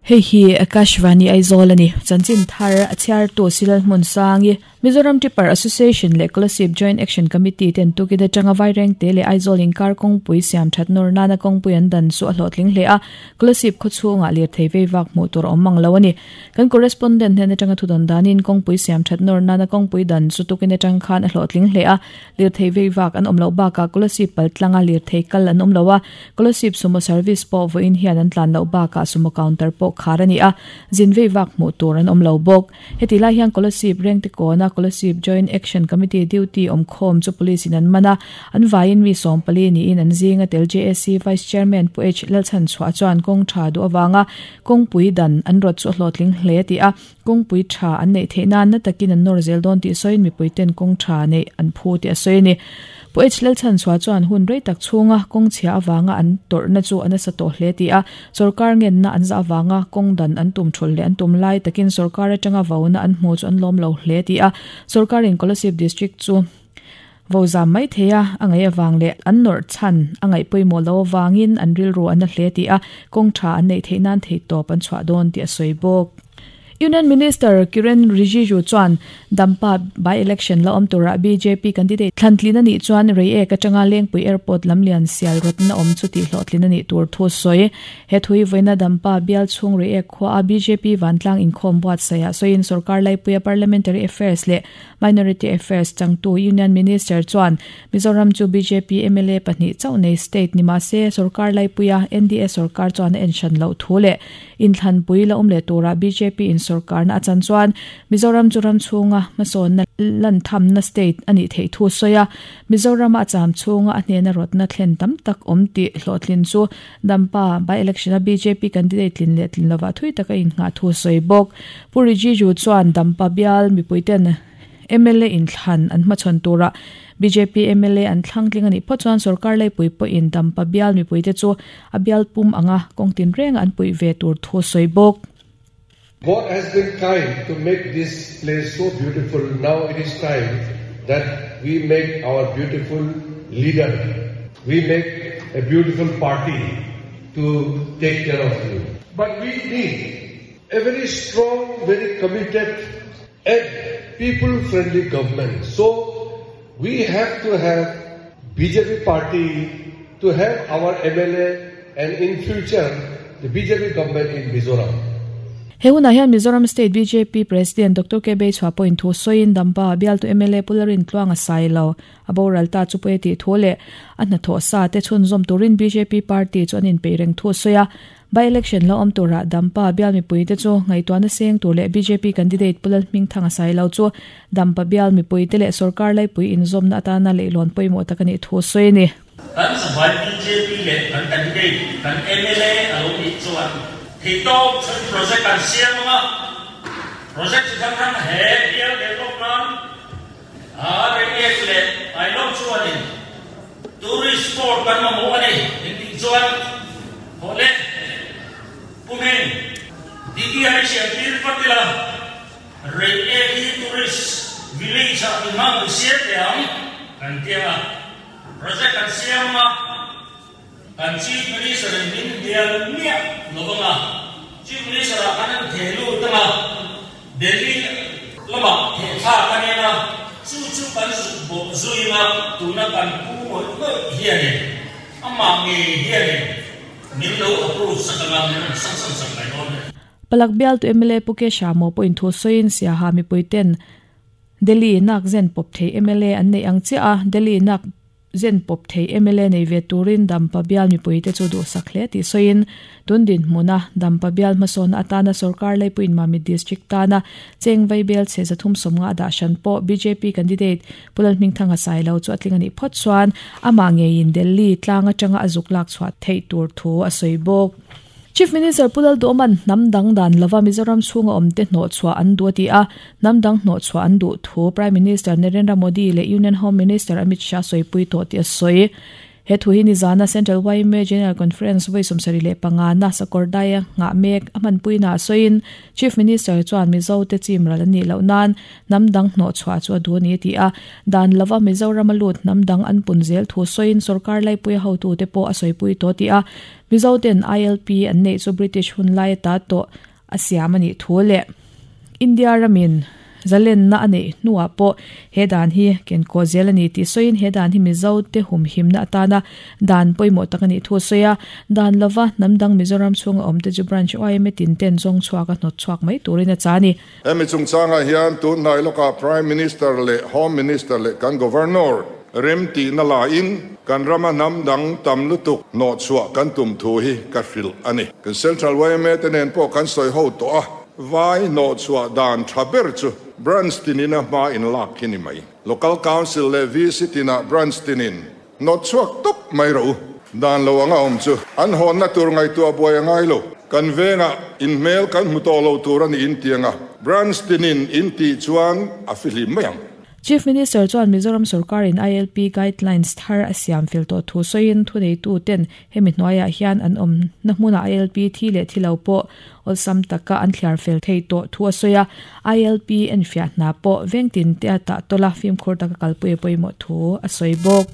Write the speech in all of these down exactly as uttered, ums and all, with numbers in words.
Hei hi Akashvani Aizawl ani chanchin thar a chhiar tu Silal hmun sangi Mizoram Tipper Association leh Kolasib Joint Action Committee ten tukin atanga Vaireng te leh Aizawl inkar kawngpui siam that nawr nana kawngpui an dan chu a hlawhtling hle a Kolasib khawchhungah lirthei vei vak hmuh tur a awm mang lo ani kan correspondent hnen atanga thudawn danin kawngpui siam that nawr nana kawngpui dan chu tukin atang khan a hlawhtling hle a lirthei vei vak an awm loh bakah Kolasib pal tlanga lirthei kal an awm lo a Kolasib sumo service pawh vawiin hian an tlan loh bakah sumo counter pawh khar ani a zin vei vak hmuh tur an awm lo bawk heti lai hian Kolasib rengte kawna Kolasib Joint Action Committee duty awm khawm chu police in an mana an vaiin mi sawm pali niin an zinga tel J A C Vice Chairman Pu H Lalchan chhuah chuan kawng tha du awanga kawngpui dan an rawt chu hlawhtling hle ti a kawngpui tha an nei theihna na takin an nawr zel dawn tih sawiin mipui ten kawng tha nei an phu ti a sawi ani Pu H Lalchan chhuah chuan hun rei tak chhunga kawng chhia awanga an tawrhna chu an asa tawh hle ti a sarkar ngen na an za awanga kawng dan an tum thul le an tum lai takin sarkar atanga vauna an hmu chu an lawm lo hle ti a sarkar in Kolasib district chu vo zam mai theia angai awang le an nawr chan angai pawimawh lo awangin an rilru an a hle ti a kawng tha an nei theih nan thei tawp an chhuah dawn ti a sawi bawk Union Minister Kiren Rijiju chuan Dampa by election la awm tura B J P candidate thlantlin ani chuan Reiek atanga Lengpui Airport lamlian sial rotna awm chu ti hlawhtlin ani tur thu sawi he thui voina Dampa bial chhung Reiek khua a B J P vantlang inkhawm buat saya sawiin sarkar laipuia Parliamentary Affairs leh Minority Affairs changtu Union Minister chuan Mizoram chu B J P M L A pahnih chauh nei state nima se sarkar laipuia N D A sarkar chuan a enshan lo thu leh inthlanpui la awm leh tura B J P in sarkar na achan chuan Mizoram churam chhunga hmasawn na lan tham na state ani thei thu soya Mizoram a cham chhunga a hnena rotna thlen tam tak awm ti hlawhtlin chu Dampa by election a B J P candidate tlin leh tlin lova thui taka in nga thu soi bawk Pu Rijiju chuan Dampa bial mipuiten M L A in thlan an hmachhawn tura B J P M L A an thlang tling ani pawh chuan sarkar laipui pawh in Dampa bial mipuite chu a bial pum anga kawngtin reng an pui ve tur thu soi bawk. God has been kind to make this place so beautiful. Now it is time that we make our beautiful leader. We make a beautiful party to take care of you. But we need a very strong, very committed and people-friendly government. So we have to have B J P party to have our M L A and in future the B J P government in Mizoram. He huna hian Mizoram State B J P President Doctor K B Chhuah pawhin thu sawiin Dampa bial tu M L A Pularin tluang a sai lo a boral ta chu pawh ti thu leh a hnathawh sa te chhun zawm turin B J P party chu an inpeih reng thu sawi a by election la awm tura Dampa bial mipui te chu ngaihtuahna seng tur leh B J P candidate Pulal Hmingthang a sai lo chu Dampa bial mipui te leh sarkar laipui inzawmna atana leihlawn pawimawh tak ani thu sawi ani. Kan zavai B J P leh kan candidate kan M L A a lo nih chuan thei tawp chun project kan siam anga project chi thang thang he bial development a Reiek leh Ailawng chuanin tourist spot kan mamawh ani in tih chuan hawh le pumin D T I siam tir patila Reiek hi tourist village a imang siam te ang kan tia project kan siam anga kan Chief Minister in min bial miah lovanga Chief Minister a kan an thelu tanga Delhi lama the tha kanena chu chu kan zu bo zuinga tuna kan pu moi moi hiani ama nge hiani min lo approve sakanga min sang sang sang mai don. Palak bial tu M L A Puke Shamo point thu soin sia ha mi puiten Delhi nak zen pop thei M L A an nei ang che a Delhi nak zen pop thei M L A nei ve turin Dampa bial mi puite chu du sakhle ti soin tundin hmuna Dampa bial hmasawn atana sarkar laipuin Mami district tana chengvai bel che zathum somnga da shan po B J P candidate Pulal Hmingthang a sai lo chu atling ani phot chuan ama nge in Delhi tlanga tanga azuk lak chhuat thei tur thu a soi bawk. Chief Minister Pulal Doman namdang dan lova Mizoram chhunga awmte hnawh chhuah an duh ti a namdang hnawh chhuah an duh thu Prime Minister Narendra Modi leh Union Home Minister Amit Shah sawipui tawh ti a sawi. He thu hi ni zana Central Y M A General Conference voi sawmsarih leh panga na Sakawrdai ngah mek a hmanpui na sawiin Chief Minister chuan Mizo te chim ral ani loh nan hnam dang hnawh chhuah chu a duh ani ti a dan lova Mizoram a lut hnam dang an pun zel thu sawiin sarkar laipui hotu te pawh a sawipui tawh ti a Mizo ten I L P an nei chu British hun lai ta tawh a siam ani thu le India ramin zalen na ani nuwa po he dan hi ken ko zel ani ti soin he dan hi Mizo te hum him na atana dan poimo takani thu soya dan lova namdang Mizoram chunga omte chu branch Y M A tin ten zong chuaka hnot chuak mai turin a chani emi chung changa hian tu nai loka Prime Minister le Home Minister le kan Governor rem ti na la in kan rama namdang tam lutuk no chua kan tum thu hi ka fil ani kan Central Y M A tenen po kan soi ho to a vai no chua dan thaber chu branch tinina ma in lak kini mai local council le visitina branch tinin no chuak top mai ro dan lo anga om chu an hon na tur ngai tu boy ngai lo kan venga in mail kan muto lo tur ani in tianga branch tinin in ti chuan a fili mayang Chief Minister chuan Mizoram Sarkar in I L P guidelines thar a siam fel to thu soin thu nei tu ten hemi hnuaiah hian an awm na hmuna I L P thi leh thi lo pawh awlsam taka an thliar fel thei tawh thu a sawi a I L P en fiah hna pawh vengtin te a tah tawla fimkhur taka kalpui pawimawh thu a sawi bawk.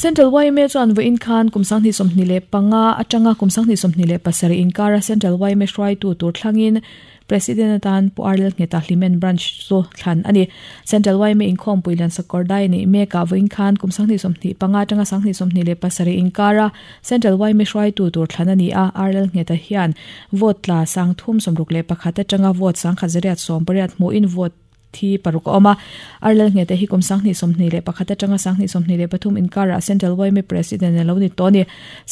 Central Y M A chuan vawiin khan kumsang hnih sawmhnih leh panga atanga kumsang hnih sawmhnih leh pasarih inkara Central Y M A hruaitu tur thlangin President atan Pu Arlel Ngeta Hlimen branch chu thlan ani Central Y M A inkhawm puilan Sakawrdai ni meka vawiin khan kumsang hnih sawmhnih panga atanga sanghnih sawmhnih leh pasarih inkara Central Y M A hruaitu tur thlan ani a Arlel Ngeta hian vote tla sang thum sawmruk leh pakhat atanga vote sang khat zariat sawm pariat hmuhin vote thi paruk awm a Arlel Ngeta hi kumsang hnih sawmhnih leh pakhat atanga sanghnih sawmhnih leh pathum inkara Central Y M A President alo ni tawh ani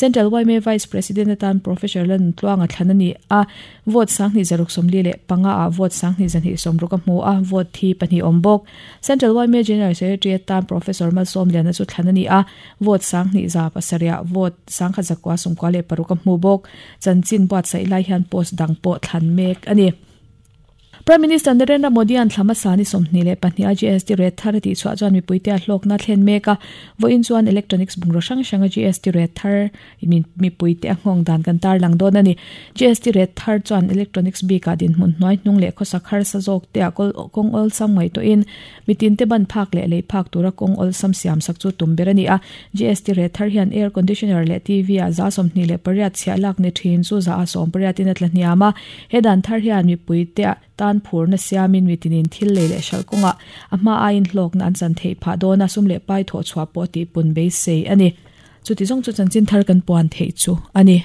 Central Y M A Vice President atan Professor Lan Tluanga thlan ani a vote sanghnih zaruk sawmli leh panga a vote sanghnih zanhnih sawmruk a hmu a vote thi pahnih awm bawk Central Y M A General Secretary atan Professor Malsawmliana chu thlan ani a vote sanghnih za pasarih vote sangkhat zakua sawmkua leh paruk a hmu bawk chanchin buatsaih lai hian post dang pawh thlan mek ani Prime Minister Narendra Modi an thlama sani sawmhnih leh pahnih a G S T rate thar ti chhuah chuan mipuite a hlawkna thlen mek a vawiin chuan electronics bungraw hrang hranga G S T rate thar mipuite a nghawng dan kan tar lang dawn ani G S T rate thar chuan electronics bikah dinhmun hnuai hnung leh khawsak harsa zawk te a kawng awlsam ngaih tawhin mitin te ban phak leh lei phak tura kawng awlsam siam sak chu tum ber ani a G S T rate thar hian air conditioner leh T V a za sawmhnih leh pariat chhiah lak ni thin chu za a sawm pariatin a tla hniam a he dan thar hian mipuite a tan phur na siamin mitinin thil lei leh hral kawnga a hma aiin hlawk na an chan theih phah dawn a sum leh pai thawh chhuah pawh tih pun beisei ani chuti zawng chu chanchin thar kan puan theih chu ani.